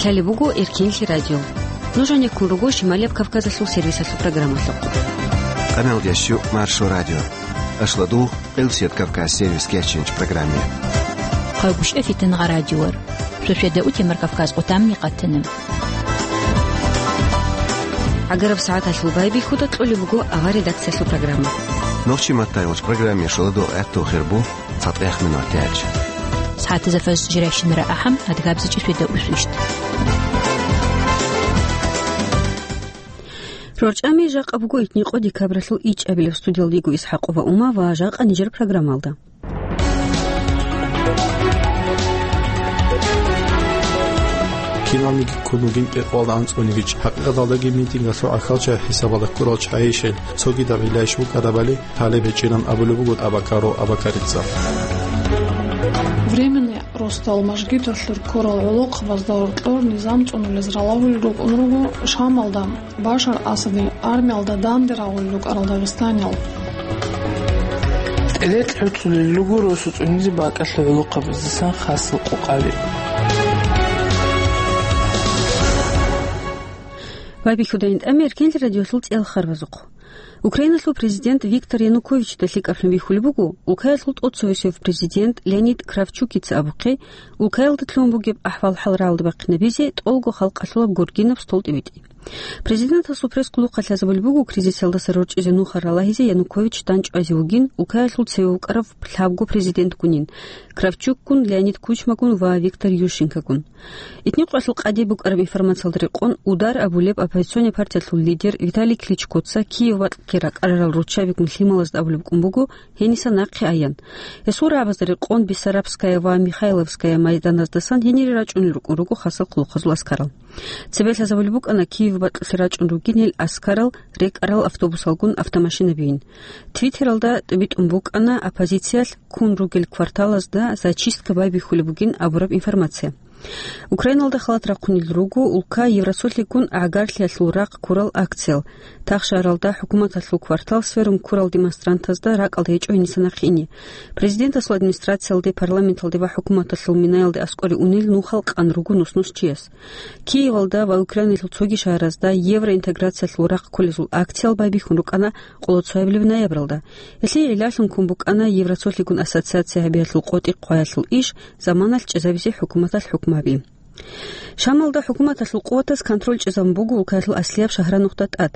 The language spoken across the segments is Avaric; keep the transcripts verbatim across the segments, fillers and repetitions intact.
Лъалеб буго Эркенлъи радио. Нуж гьанеккун руго Шималияб Кавказалъул сервисалъул программалъухъ. Къаналдящу Маршо радио. Ашладу Къилсият Кавказ сервис кеченч программе. Хъагушев Фитангъа радиор. Шошеда утемар Кавказ къутамни къатана. ГӀагараб сагӀаталъул байбихьуда кьолеб буго авар редакциялъул программа. Нохчи маттайгъуч программе шоладу гӀатту хирбу. ЦатӀехъ минуталъ. СагӀатазда фажр жирайщинара ахӀам, адгабзичӀи шведа усвищт. РорчӀами жакъа буго итникъо декабралъул ичӀабилеб. Студиялда йиго ИсхӀакъова Ума ва жакъа нижер программалда. Киналниги ккун вугин кӀикъоялда анцӀунигичӀ, хӀакъикъаталдаги митингалъул гӀахьалчагӀи хӀисабалда ккурал чагӀийищел цогидаб гӀилайищ букӀарабали гьалеб гьечӀинан абулеб буго Абакаров Абакарица. Временный росдал мажгиталъур ккурал гӀолохъабазда гьоркьор низам цӀунулез ралагьулел рукӀун руго Шамалда Башар Асадил армиялда данде рагъулел рукӀарал дагъистаниял. ТӀелекь гӀуцӀулел руго росу цӀунизе бакӀалъул гӀолохъабаздасан хасал къокъаби. Байбихьудайин тӀаме Эркенлъи радиолъул цӀел харбазухъ. Украиналъул президент Виктор Януковичда лъикӀаблъун бихьулеб буго, улкаялъул тӀоцевесев президент Леонид Кравчукица абухъе, улкаялда лъугьун бугеб ахӀвал-хӀал рагӀалдабахъинабизе тӀолго халкъалъулаб гургинаб столтӀибитӀи. Президентасул пресс-хъулухъалъ лъазабулеб буго, кризисалдаса рорчӀизе нуха ралагьизе Янукович данчӀвазе вугин, улкаялъул цеве вукӀарав лъабго президентгунин, Кравчукгун, Леонид Кучмагун ва Виктор Ющенкогун. Итникъоялъул къаде букӀараб информациялда рекъон, «Удар» абулеб оппозиционный партиялъул лидер Виталий Кличкоца Киев бакьги ракӀарарал руччабигун лъималазда абулеб букӀун буго, гьениса нахъе аян. Гьесул рагӀабазда рекъон Бессарабская ва Михайловская майданаздасан гьенире рачӀунел рукӀун руго хасал хъулухъазул аскарал. Цебе лъазабулеб букӀана Киев бакьулъе рачӀун ругин гьел аскарал рекӀарал автобусалгун автомашинабийин. Твиттералда тӀибитӀун букӀана оппозициялъ ккун ругел кварталазда зачистка байбихьулеб бугин абураб информация. Украиналда халат рахъунел руго улка Евросолъигун гӀагарлъиялъул рахъ ккурал акциял. Тах шагьаралда хӀукуматалъул квартал сверун ккурал демонстрантазда ракӀалда гьечӀо гьениса нахъе ине. Президентасул администрациялде, парламенталде ва хӀукуматалъул минаялде аскӀоре унел нухал къан руго нус-нус чияс. Киевалда ва Украиналъул цоги шагьаразда евроинтеграциялъул рахъ кколезул акциял байбихьун рукӀана къоло цоябилеб ноябралда. Гьелъие гӀиллалъун ккун букӀана Евросолъигун ассоциация гьабиялъул къотӀи-хъваялъул иш заманалъ чӀезабизе хӀукуматалъ хӀукму гьаби. Шамалда хӀукуматалъул къуватаз контроль чӀезабун буго улкаялъул аслияб шагьранухъда тӀад.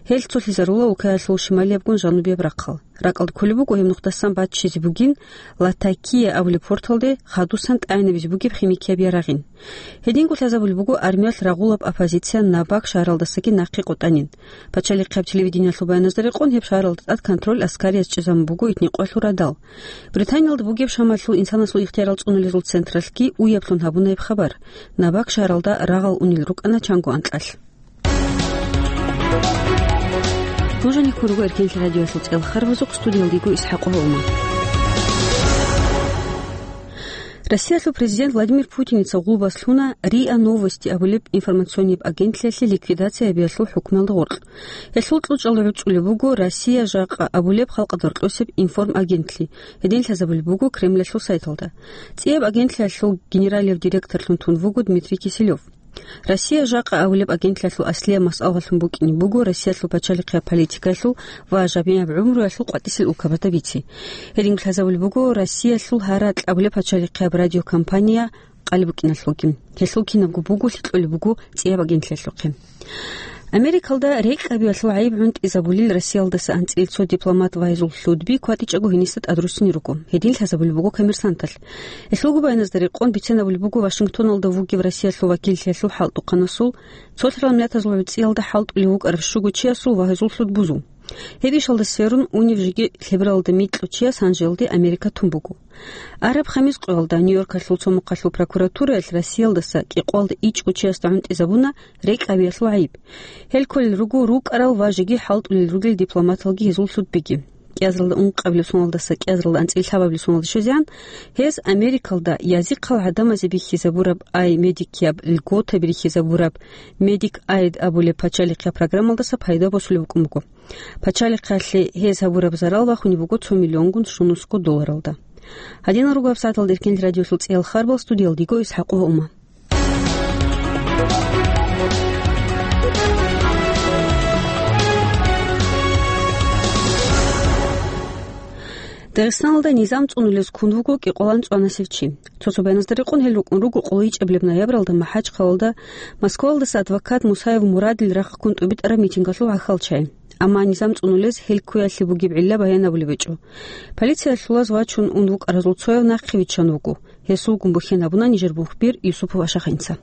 Гьел цолъизарула улкаялъул шималиябгун жанубияб рахъал. РакӀалда кколеб буго гьеб нухдасан баччизе бугин Латакия абулеб порталде хадусан тӀагӀинабизе бугеб химикияб ярагъин. Гьединго лъазабулеб буго армиялъ рагъулаб оппозиция Набак шагьаралдасаги нахъе къотӀанин. Пачалихъияб телевидениялъул баяназда рекъон, гьеб шагьаралда тӀад контроль аскариялъ чӀезабун буго итникъоялъул радал. Британиялда бугеб Шамалъул инсанасул ихтиярал цӀунулезул централъги уяблъун гьабуна гьеб хабар. Набак шагьаралда рагъал унел рукӀана чанго анкьалъ. Нуж гьанеккун руго Эркенлъи радиоялъул цӀел харбазухъ, студиялда йиго ИсхӀакъова Ума. Россиялъул президент Владимир Путиница гъулбас лъуна РИА Новости абулеб информационнияб агентлъиялъе ликвидация гьабиялъул хӀукмуялда гъоркь. Гьелъул кьучӀалда гӀуцӀулеб буго «Россия жакъа» абулеб халкъалда гьоркьосеб информагентлъи, гьедин лъазабулеб буго Кремльалъул сайталда. ЦӀияб агентлъиялъул генералияб директорлъун тун вуго Дмитрий Киселёв. «Россия жакъа» абулеб агентлъиялъул аслияб масъалалъун букӀине буго Россиялъул пачалихъияб политикаялъул ва жамигӀаб гӀумруялъул къватӀисел улкабазда бице. Гьединго лъазабулеб буго Россиялъул гьаракь абулеб пачалихъияб радиокомпания къалеб букӀиналъулги. Гьелъул кинабго буголъи кьолеб буго цӀияб агентлъиялъухъе. Америкалда рекӀкӀабиялъул гӀайиб гӀунтӀизабулел Россиялдаса анцӀил цо дипломат ва гьезул лъудби кватӀичӀого гьениса тӀадруссине руго. Гьедин лъазабулеб буго «Коммерсанталъ». Гьелъулго баяназда рекъон бицинабулеб буго Вашингтоналда вугев Россиялъул вакиллъиялъул хӀалтӀухъанасул, цолъарал миллатазул гӀурцӀиялда хӀалтӀулев вукӀарав щуго чиясул ва гьезул лъудбузул. Гьеб ишалда сверун унев жеги лъебералда микьу чияс гьанжелде Америка тун буго. Араб хамис къоялда Нью-Йоркалъул цо мухъалъул прокуратураялъ Россиялдаса кӀикъоялда ичӀго чиясда гӀунтӀизабуна рекӀкӀабиялъул гӀайиб. Гьел кколел руго рукӀарал ва жеги хӀалтӀулел ругел дипломаталги гьезул лъудбиги. КӀиазаралда ункъабилеб соналдаса кӀиазаралда анцӀил лъабабилеб соналда щвезегӀан, гьез Америкалда язихъал гӀадамазе бихьизабураб ай медикияб льготаби рихьизабураб Медик Айд абулеб пачалихъияб программалдаса пайда босулеб букӀун буго. Пачалихъалъе гьез гьабураб зарал бахунеб буго цо миллионгун щунусго долларалда. Гьадинал руго гьабсагӀаталда Эркенлъи радиолъул цӀиял харбал, студиялда йиго ИсхӀакъова Ума. Дагъистаналда низам цӀунулез ккун вуго кӀикъоялда анцӀанасев чи. Цо-цо баяназда рекъон гьел рукӀун руго къоло ичӀабилеб ноябралда МахӀачхъалалда Москваялдаса адвокат Мусаев Мурадил рахъ ккун тӀубитӀараб митингалъул гӀахьалчагӀи. Амма низам цӀунулез гьел ккуялъе бугеб гӀилла баян гьабулеб гьечӀо. Полициялъулаз вачун ун вукӀаразул цояв нахъе виччан вуго. Гьесулгун бухьен гьабуна нижер мухбир Юсупов Ашахинца.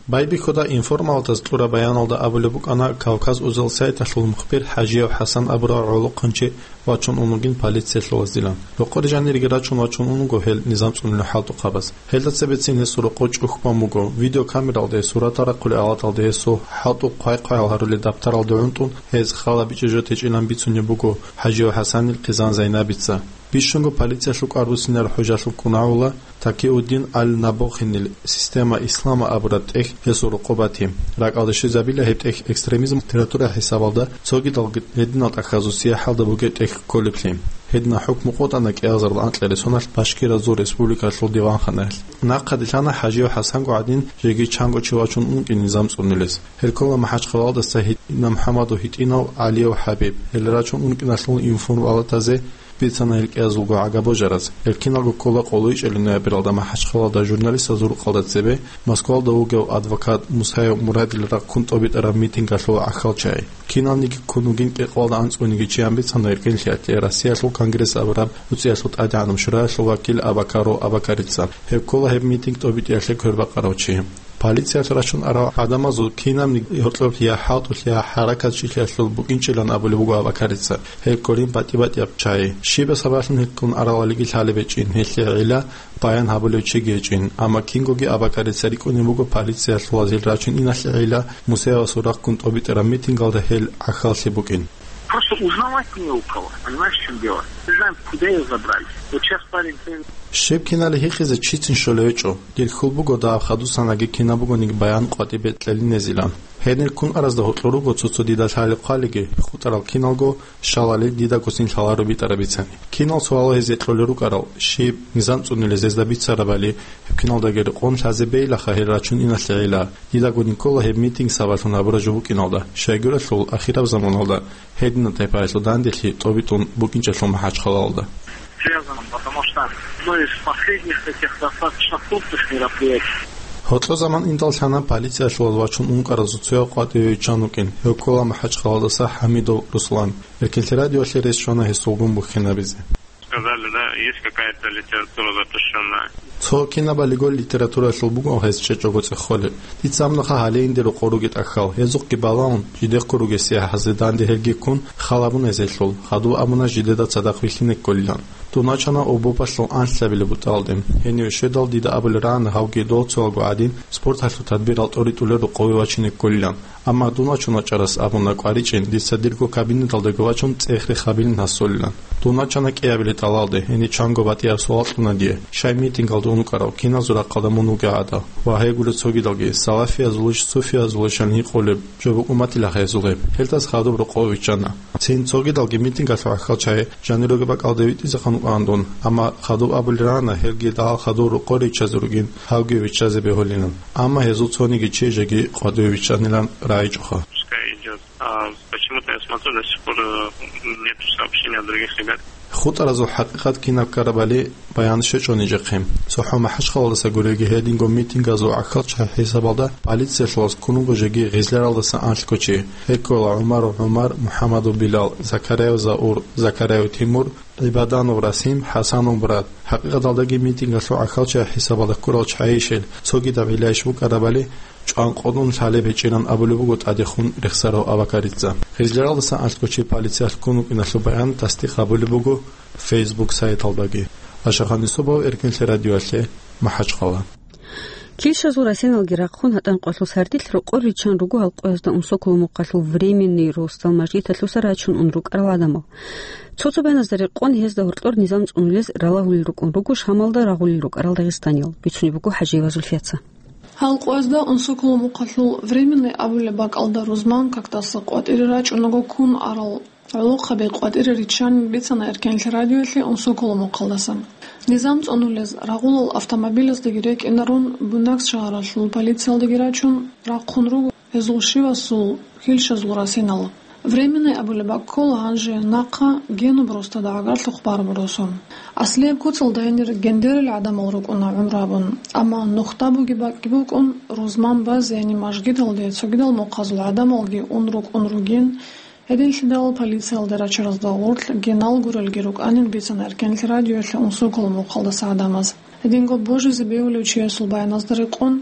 Байбихьуда информалдаз кьураб баяналда абулеб букӀана Кавказ Узел сайталъул мухбир ХӀажияв ХӀасан абурав гӀолохъанчи вачун ун вугин полициялъулазилан. Рокъор жанирги рачун вачун ун вуго гьел низам цӀунулел хӀалтӀухъабаз. Гьелда цебецин гьесул рокъов чӀухь бан буго, видеокамералде суратал рахъулел авлаталде гьесул хӀалтӀухъ хъвай-хъваял гьарулел дабтаралде гӀунтӀун гьез хал бичӀчӀизе жо течӀилан бицунеб буго ХӀажияв ХӀасанил хъизан Зайнабица. Бищунго полициялъул кӀвар буссинареб хӀужалъул кунагьула Такиуддин аль-Набохинил «Система ислама» абураб тӀехь гьесул рокъоб бати. РакӀалде щвезабила гьеб тӀехь экстремизм литература хӀисабалда цогидал гьединал тӀахьазул сияхӀалда бугеб тӀехь кколеблъи. Гьединаб хӀукму къотӀана кӀиазарда анкьарил соналъ Башкиразул республикалъул диванханаялъ. Нахъа лъана ХӀажияв ХӀасанго гӀадин жеги чанго чи вачун ункъи низам цӀунулез. Гьел ккола МахӀачхъалалдаса гьитӀинаб МухӀаммадов, гьитӀинав ГӀалияв ХӀабиб. Гьел рачун ункъиналъул информалатазе бицана гьел кӀиазулго гӀага божараз. Гьел киналго ккола къоло ичӀабилеб ноябралда МахӀачхъалалда журналистазул рукъалда цебе Москвалда вугев адвокат Мусаев Мурадил рахъ ккун тӀубитӀараб митингалъул гӀахьалчагӀи. Киналниги ккун вугин кӀикъоялда анцӀгониги чиян бицана РкӀинлъи гьатӀи Россиялъул конгресс абураб нуцӀиялъул тӀадегӀанаб шураялъул вакил Абакаров Абакарица. Гьеб ккола гьеб митинг тӀубитӀиялъе квербакъарав чи. Полициялъ рачун арал гӀадамазул кинабниги гьоркьоб я хӀалтӀулъ, я хӀаракат чилъиялъул букӀинчӀилан абулеб буго Абакарица. Гьеб кколин батӀи-батӀияб чагӀи. Щибаб сабаблъун гьел ккун аралалиги лъалеб гьечӀин, гьелъие гӀилла баян гьабулев чиги гьечӀин, амма кингоги Абакарица рикӀкӀунеб буго полициялъулаз гьел рачун иналъе гӀилла Мусаевасул рахъ ккун тӀубитӀараб митингалда гьел гӀахьаллъи букӀин. Просто узнавать не у кого, понимаешь, в чём дело? Не знаем, куда её забрали. Вот сейчас парень... Щиб кинали гьикъизе чицин щолев гьечӀо. Дир хьул буго дагьаб хадусанаги кинаб бугониги баян къватӀибе кьелинезилан. Гьенир ккун аразда гьоркьор руго цо-цо дида лъалеб хъвалиги, хутӀарал киналго щалали дидаго цин лъаларо битӀараб бицани. Кинал суалал гьезие кьолел рукӀарал, щиб низам цӀунулез гьезда бицарабали, гьеб киналдаги рекъон лъазе бейилаха гьел рачун иналъе гӀилла. Дидаго никола гьеб митинг сабаблъун гьабураб жо букӀиналда, щайгурелъул ахираб заманалда гьединаб тайпаялъул данделъи тӀобитӀун букӀинчӀелъул МахӀачхъалалда. Связано, потому что одно из последних таких достаточно крупных мероприятий. Гьоркьо заман индал лъана полициялъулаз вачун ункъаразул цояв къватӀиве виччан вукӀин, гьев ккола МахӀачхъалалдаса ХӀамидов Руслан. Эркинлъи радиоялъе рес щвана гьесулгун бухьинабизе. Сказали, да, есть какая-то литература запрещённая. Цо кинабалиго литературалъул буго гьез чӀечӀого цӀехолеб. Дица амнуха гьале инде рокъор ругел тӀахьал, гьезухъги балагьун, жидехъго ругесие гьазда данде гьелги ккун, хал гьабуна гьезелъул, хадуб абуна жидеда цадахъ вилълъине кколилан. Дун вачана обобалъул анлъабилеб бутӀалде. Гьенив щведал дида абулеб рагӀана гьавги дол цоялго гӀадин, спорталъул тадбирал тӀоритӀулел рокъове вачине кколилан. Амма дун вачун вачӀарас абуна кӀваричӀин, дица дирго кабинеталдаго вачун цӀех рехабилин гьасулилан. Дун вачана кӀиабилеб тӀалалде, гьениб чанго батӀияб суал кьуна дие, щай митингалда ункъарав киназул рахъалда мун вугев гӀадал? Ва гьелгун цогидалги, салафиязулищ, суфиязулищ гьаниб гьикъулеб жо букӀун батила гьезул гьеб. Гьелдаса хадуб рокъове виччана. Цин цогидалги митингалъул гӀахьалчагӀи жанируги бакӀалде витӀизе хъван вукӀана дун, амма хадуб абулеб рагӀана гьелги дагьал хадур рокъоре виччазе ругин, гьавги виччазе бегьулилан. Амма гьезул цониги чи жеги къватӀиве виччанилан рагӀичӀоха. Пускай идёт. А почему-то я смотрю, до сих пор, э, нету сообщений от других ребят. ХутӀаразул хӀакъикъат кинаб ккарабали баян щвечӀо нижехъе. ЦохӀо МахӀачхъалалдаса гурелги гьединго митингазул гӀахьалчагӀи хӀисабалда полициялъулаз ккун вуго жеги Гъизляралдаса анлъго чи. Гьел ккола ГӀумаров ГӀумар, МухӀаммадов Билал, Закарияв Заур, Закарияв Тимур, ГӀибаданов Расим, ХӀасанов Мурад. ХӀакъикъаталдаги митингалъул гӀахьалчагӀи хӀисабалда ккурал чагӀийищ гьел, цогидаб гӀилайищ букӀарабали, чӀванкъотӀун лъалеб гьечӀилан абулеб буго ТӀадехун рехсарав Абакарица. Гъизляралдаса анлъго чи полициялъ ккун вукӀиналъул баян тасдикъ гьабулеб буго Facebook сайталдаги. Ашахъан Юсупов, Эркинлъи радиоялъе, МахӀачхъала. Килщазул расиналги рахъун гьатӀан къоялъул сардилъ рокъор риччан руго гьал къоязда Унсоколо мухъалъул Временный росдал мажгиталъуса рачун ун рукӀарал гӀадамал. Цо-цо баяназда рекъон гьезда гьоркьор низам цӀунулез ралагьулел рукӀун руго Шамалда рагъулел рукӀарал дагъистаниял, бицунеб буго ХӀажиева Зульфияца. Гьал къоязда Унсоколо мухъалъул Временный абулеб бакӀалда рузман какдаса къватӀире рачӀунаго ккун арал гӀолохъаби къватӀире риччанин бицана Эркенлъи радиоялъе Унсоколо мухъалдасан. Низам цӀунулез рагъулал автомобилаздаги рекӀинарун Буйнакск шагьаралъул полициялдаги рачун рахъун руго гьезул щивасул килщазул расинал. Временный абулеб бакӀ ккола гьанже нахъа Генуб росдада гӀагарлъухъ бараб росу. Аслияб куцалда гьенир гендерил гӀадамал рукӀуна гӀумру гьабун, амма нухда бугеб бакӀги букӀун, рузман базе, яни мажгиталде цогидал мухъазул гӀадамалги ун рукӀун ругин, гьединлъидал полициялде рачаразда гъорлъ генал гурелги рукӀанин бицана Эркенлъи радиоялъе унсукал мухъалдаса гӀадамаз. Гьединго божизе бегьулев чиясул баяназда рекъон,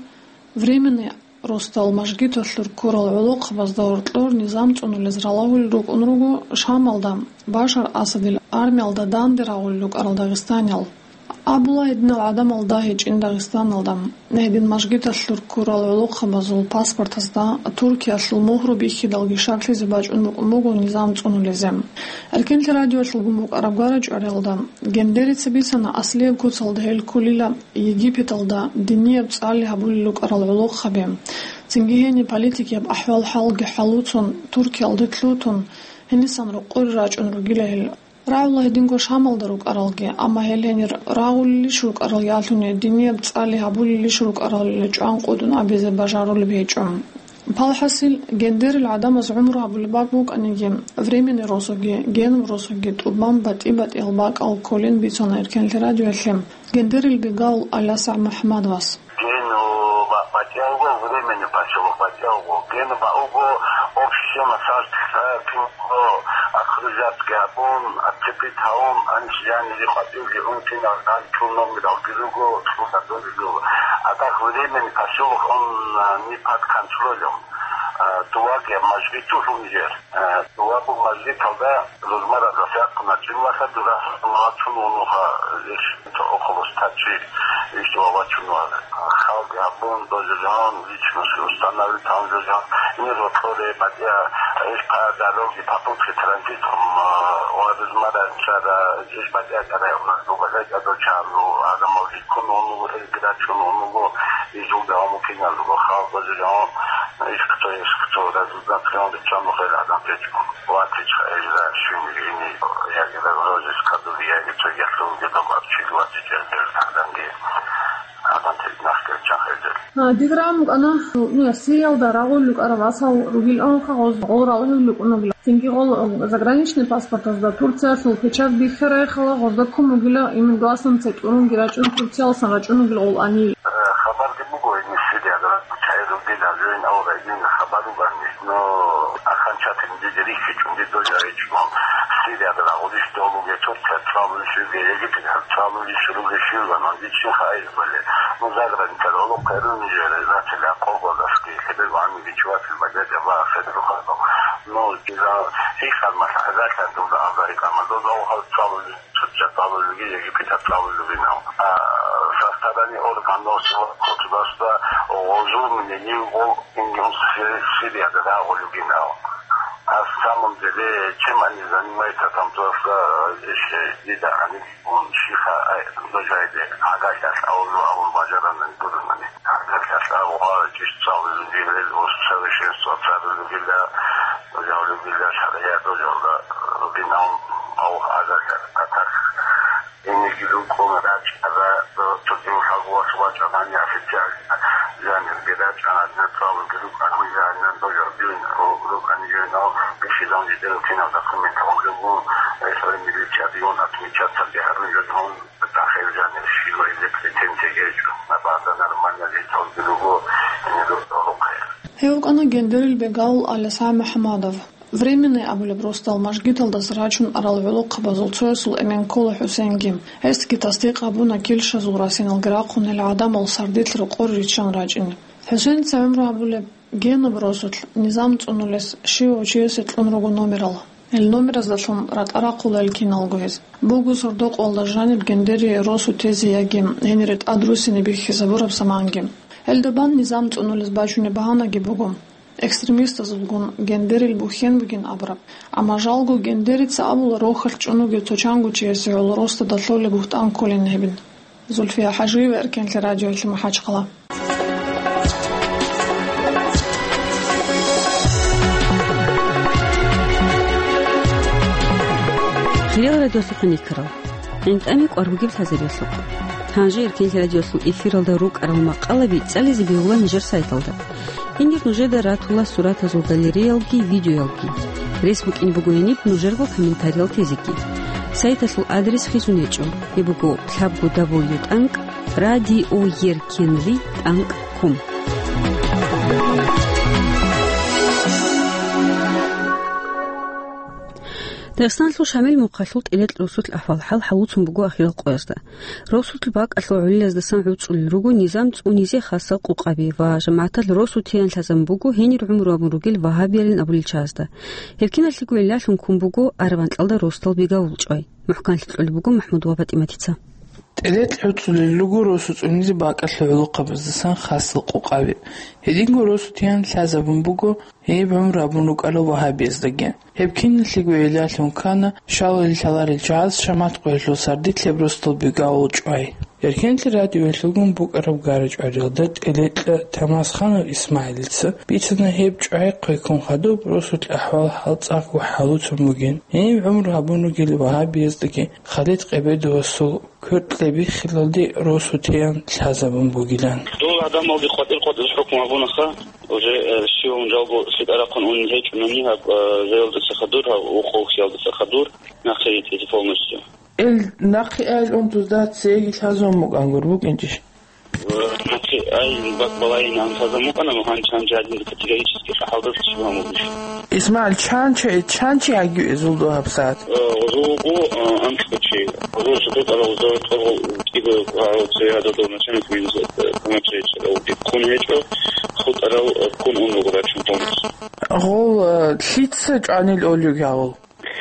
временный росдал мажгиталъур ккурал гӀолохъабазда гьоркьор низам цӀунулез ралагьулел рукӀун руго Шамалда, Башар Асадил армиялда данде рагъулел рукӀарал дагъистаниял. Абула гьединал гӀадамал дагьичӀин Дагъистаналда. Гьедин мажгиталъур ккурал гӀолохъабазул паспортазда Туркиялъул мугьру бихьидалги шаклъизе бачӀун букӀун буго низам цӀунулезе. Эркенлъи радиоялъулгун букӀараб гварачӀвариялда гендерица бицана аслияб куцалда гьел кколила Египеталда динияб цӀали гьабулел рукӀарал гӀолохъаби. Цинги гьениб политикияб ахӀвал-хӀалги хӀалуцун, Туркиялде лъутун, гьенисан рокъоре рачӀун ругила гьел. РагӀула гьединго Шамалда рукӀаралги, амма гьел гьенир рагъулелищ рукӀарал ялъуни динияб цӀали гьабулелищ рукӀаралила чӀван къудун абизе бажарулеб гьечӀо. Палхасил, гендерил гӀадамаз гӀумру гьабулеб бакӀ букӀаниги, временный росуги, генуб росуги тӀубан батӀи-батӀиял бакӀал кколин бицана Эркенлъи радиоялъе гендерил бегал Аляса МухӀаммадовас. Генуб батӀиялго, временный поселок батӀиялго, генуб бакӀ буго общий схема сардилъа, кинго окружатки гьабун, отцепить гьавун, анищ жанири къватӀивги ун кинал гьанчул номералги руго, цӀуна доригу. А так временный поселок, он, а, не под контролем. А, дувагия мажгиту лъун жер. А, дувагу мажгиталда рузмаразда сякъуна, жинлаха дурасалда чун унуха, иш около ста чи, иш дувагачун вара. Халкъ гьабун, дожажан, личность установить гьанжажан, ин рокьоре, батӀа, иш по дороге, попутке транзитом, а, ва рузмара чара, иш батӀа чара, у нас дугажай чадо чару, адамал риккун унуго, иш грачун унуго, иш улда умукинал, халкъ дожажан, иш кто, иш кто, разузнать гьанде чан хел адам печкун. Ватичха эжда шимрини, яги разрозис кадури, яги цогехлъунги доб абчил ватича эжда данги. Адам тек нахкел чан хедер. А, диграм кана, ну, Сириялда рагъул лукӀара васал ругил анха гъоз гъорал гьев лукӀунагила. Цинги гъол, заграничный паспортазда Турциялъул печать бихьарай хала гъозда ккун бугила, имин гласнан цетӀурунги рачӀун Турциялсан рачӀун бугила гъол ани. Э, хабарги буго, ин Сириялда чай ругила, жойн авра, ин хабар угани. Но аханчатин диде рихьичӀун дидо жаричӀун, Сириялда рагъулищ долуге, Турция цӀалулищ руге, Египет цӀалулищ руге, щиван, он дичин хаиз бале. Ну, заграничар оло къерун жере, значит, я колгодасги, хебел вани бичватил багажа ва хедер хадо. Ну, дила хихар мал хазалъан дуда абари кама, дуда охал цӀалулищ. Турция цӀалулги, Египет цӀалулги нав. А, со стороны органов силового государства гъозу мнение гъол ингьун Сирияда рагъулги нав. А в самом деле, чем они занимаются там, просто, э, ещё не да, они, он шиха, э, дожайде, агашас аулу, аул бажаранан гурунани. Агашас аулу, чисто цӀалулги, совершенство цӀалулги, да, дожавлуги, да, шария, дожавла, э, бинав, ау, агашас, а так. Инеги рукъун рачӀара, цогидал хӀалбугьалъ вачӀанани официально жанирги рачӀана, цӀалулги рукӀана, жанир дожор дин рукӀани, жанал бихьизан жидерал кинал документалги гьун, гьесул милициялъун отмечаться гьарун жо гьун, тахил жанир щиб гьезда претензия гьечӀо. Абаза нормально житалги руго, гьенир рукъая. Гьев вукӀана гендерил бегал Алиса МухӀамадов. Временный абулеб росдал мажгиталдаса рачун арал гӀолохъабазул цоясул эмен ккола ХӀусейнги. Гьесги тасдикъ гьабуна килщазул расиналги рахъун гьел гӀадамал сардилъ рокъор риччан рачӀине. ХӀусейница гӀумру гьабулеб Генуб росулъ низам цӀунулес щивав чиясе кьун руго номерал. Гьел номераздалъун ратӀа рахъула гьел киналго гьез. Буго сордо-къоялда жаниб гендерие росу тезе яги гьенире тӀад руссине бихьизабураб заманги. Гьелда бан низам цӀунулез бачунеб багьанаги буго. Экстремистазулгун гендерил бухьен бугин абураб. Амма жалго гендерица абула рохалъ чӀун вугев цо чанго чиясе гӀоло росдада лъолеб бугьтӀан кколин гьебин. Зульфия ХӀажиева, Эркенлъи радиоялъе, МахӀачхъала. Хириял радиослухъанникарал, гӀинтӀами кӀвар бугеб лъазабиялъухъ. Гьанже Эркенлъи радиоялъул эфиралда рукӀарал макъалаби цӀализе бегьула нижер сайталда. Гьенир нужеда ратула суратазул галереялги видеоялги. Рес букӀин буго гьениб нужерго комментариял тезеги. Сайталъул адрес хизун гьечӀо. Гьеб буго лъабго дабл ю тӀанкӀ радиоеркенли тӀанкӀ ком. Дагъистаналъул Шамил мухъалъул ТӀелекь росулъ ахӀвал-хӀал хӀалуцун буго ахирал къоязда. Росулъ бакӀалъул гӀолилаздасан гӀуцӀулел руго низам цӀунизе хасал къукъаби ва жамагӀаталъ росу тиян лъазабун буго гьенир гӀумру гьабун ругел вагьабиялин абулел чагӀазда. Гьеб киналъего гӀиллалъун ккун буго араванкьалда росдал бигавул чӀвай. МухӀканлъи кьолеб буго МахӀмуд ва ПатӀиматица. ТӀелекь гӀуцӀулел руго росу цӀунизе бакӀалъул гӀолохъабаздасан хасал къукъаби. Гьединго росу тиян лъазабун буго гьеб гӀумру гьабун рукӀарал вагьабияздаги. Гьеб киналъего гӀиллалъун ккана, щалалил лъаларел чагӀаз шамат къоялъул сардилъ гьеб росдал бигавул чӀвай. Эркенлъи радиоялъулгун букӀараб гара-чӀвариялда ТӀелекьа Тамасханов ИсмагӀилица бицана гьеб чӀвай хъвеккун хадуб росулъ ахӀвал-хӀал цӀакъго хӀалуцун бугин, гьениб гӀумру гьабун ругел вагьабияздаги Халид Къебедовасул кверкье биххилалде росу тиян лъазабун бугилан. Дол гӀадамалде къватӀир-къватӀир хӀукму гьабунаха, уже, э, щиван жалго лъикӀа рахъун унел гьечӀунани гьаб, э, жаялдаса хадур, гьаб ухъ-ухъиялдаса хадур нахъе ритӀизе полностью. Ил нахъе айлъун дузда цеги лъазабун букӀан гур букӀинчӀищ? Э, нахъе ай бакӀ балайин ан лъазабун букӀана, но гьанже-гьанже гьадинда категорически хӀалдаса щиб гьамулищ. ИсмагӀил, чанчи, чанчи гьагив эзул догьаб сагӀат? Э, гъозул вуго, э, анцӀго чи. Гъозул жидетӀ арал гъозул тӀоргъул кӀиго гьарал цеве гьададав начальник минус, э, комачаечи гьавги ккун гьечӀо, хутӀарал, э, ккун ун вуго рачун томас. Гъол, э, лъица чӀванил олюги гьавул?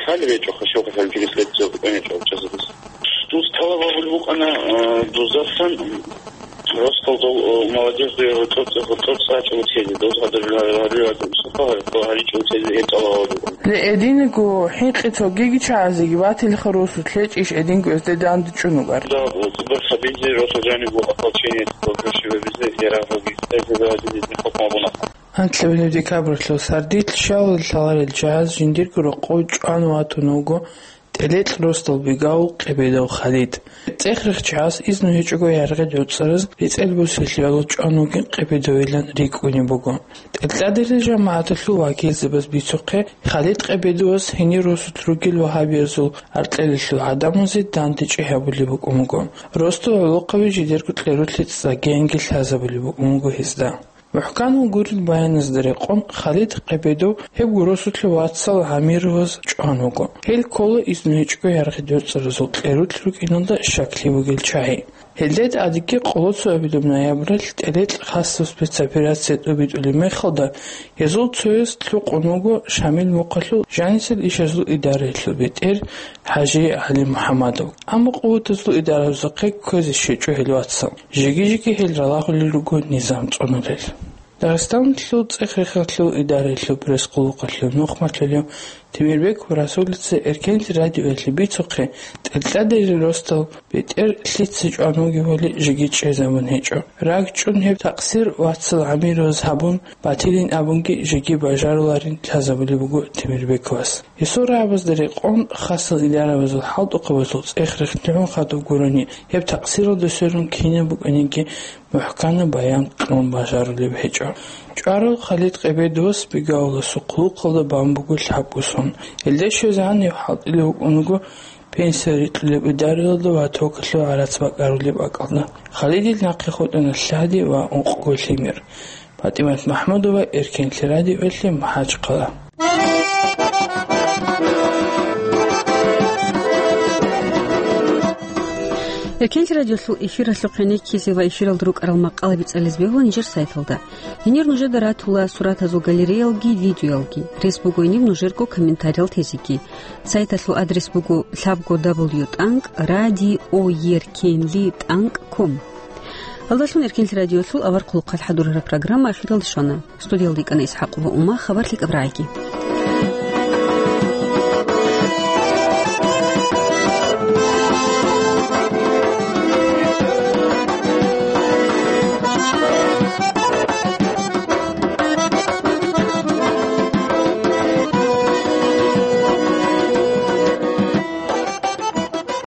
Хал речӀо, хашо хал жугис лецо букӀанечӀо чазадис. Дус талаб гьабулеб букӀана, э, дузасан Ростов дол, э, молодежь дой гьоркьоб-, гьоркьоб цӀачӀо уцезе, дол гьадаб гьарирал сухъа гьаричӀо уцезе гьеб тӀалаб гьабуго. Ле, эдинго хӀинкъи цогиги чагӀазеги батилха росу лъечӀищ эдинго эсде дандчӀун угар? Да, цӀибар хабизе, росу жаниб ополчение, гьоркьоши вебизе, ярагъ гьабизе, эсде гьабизе хӀукму гьабуна. Анлъабилеб декабралъул сардилъ щалал лъаларел чагӀаз жиндирго рокъов чӀван ватун вуго ТӀелекь росдал бигавул Къебедов Халид. ЦӀех-рех чагӀаз изну гьечӀого яргъи дурцӀараз рецӀел бусилъиялъул чӀван вугин Къебедовилан рикӀкӀунеб буго. ТӀадегӀанав жамагӀаталъул вакилзабаз бицухъе, Халид Къебедовас гьенир росулъ ругел вагьабиязул аркьелалъул гӀадамазе дандечӀи гьабулеб букӀун буго. Росдал гӀолохъаби жидерго кьерулъе цӀцӀагиянги лъазабулеб букӀун буго гьезда. МухӀканал гурел баяназда рекъон, Халид Къебедов гьеб росулъе вацал гӀамироваз чӀван вуго. Гьел ккола изну гьечӀого яргъи дурцӀаразул кьерулъ рукӀиналда щаклъи бугел чагӀи. Гьелда тӀадеги къоло цоабилеб ноябралъ ТӀелекь хасаб спецоперация тӀубитӀулеб мехалда, гьезул цояс лъукъун вуго Шамил мухъалъул жанисел ишазул идараялъул бетӀер ХӀажи ГӀали МухӀамадов. Амма къуватазул идаразухъе кквезе щвечӀо гьел вацал. Жеги-жеги гьел ралагьулел руго низам цӀунулел. Дагъистаналъул цӀех-рехалъул идараялъул пресс-къуллукъалъул нухмалъулев Темирбеков Расулица Эркенлъи радиоялъе бицухъе, ТӀадегӀанав росдал бетӀер лъица чӀван вугевали жеги чӀезабун гьечӀо. РагчӀун гьеб такъсир вацал гӀамироваз гьабун батилин абунги жеги бажаруларин лъазабулеб буго Темирбековас. Гьесул рагӀабазда рекъон, хасал идарабазул хӀалтӀухъабазул цӀех-рех лъугӀун хадуб гурони, гьеб такъсиралда сверун кинаб букӀаниги мухӀканаб баян кьун бажарулеб гьечӀо. ЧӀварал Халид Къебедовас Бигавуласул хъулухъалда бан буго лъабго сон. Гьелда щвезегӀан гьев хӀалтӀулев вукӀун вуго пенсия рикьулеб идараялда ва токалъул гӀарац бакӀарулеб бакӀалда. Халидил нахъе хутӀана лъади ва ункъго лъимер. ПатӀимат МахӀмудова, Эркенлъи радиоялъе, МахӀачхъала. Эркенлъи радиолъул эфиралъухъе нехизе ва эфиралда рукӀарал макъалаби цӀализе бегьула нижер сайталда. Гьенир нужеда ратула суратазул галереялги, видеоялги. Рес буго гьениб нужерго комментариял тезеги. Сайталъул адрес буго лъабго дабл ю тӀанкӀ радиоеркенли тӀанкӀ ком. Гьалдалъун Эркенлъи радиолъул авар хъулухъалъ хӀадурараб программа ахиралде щвана. Студиялда йикӀана ИсхӀакъова Ума, хабар лъикӀаб рагӀиги.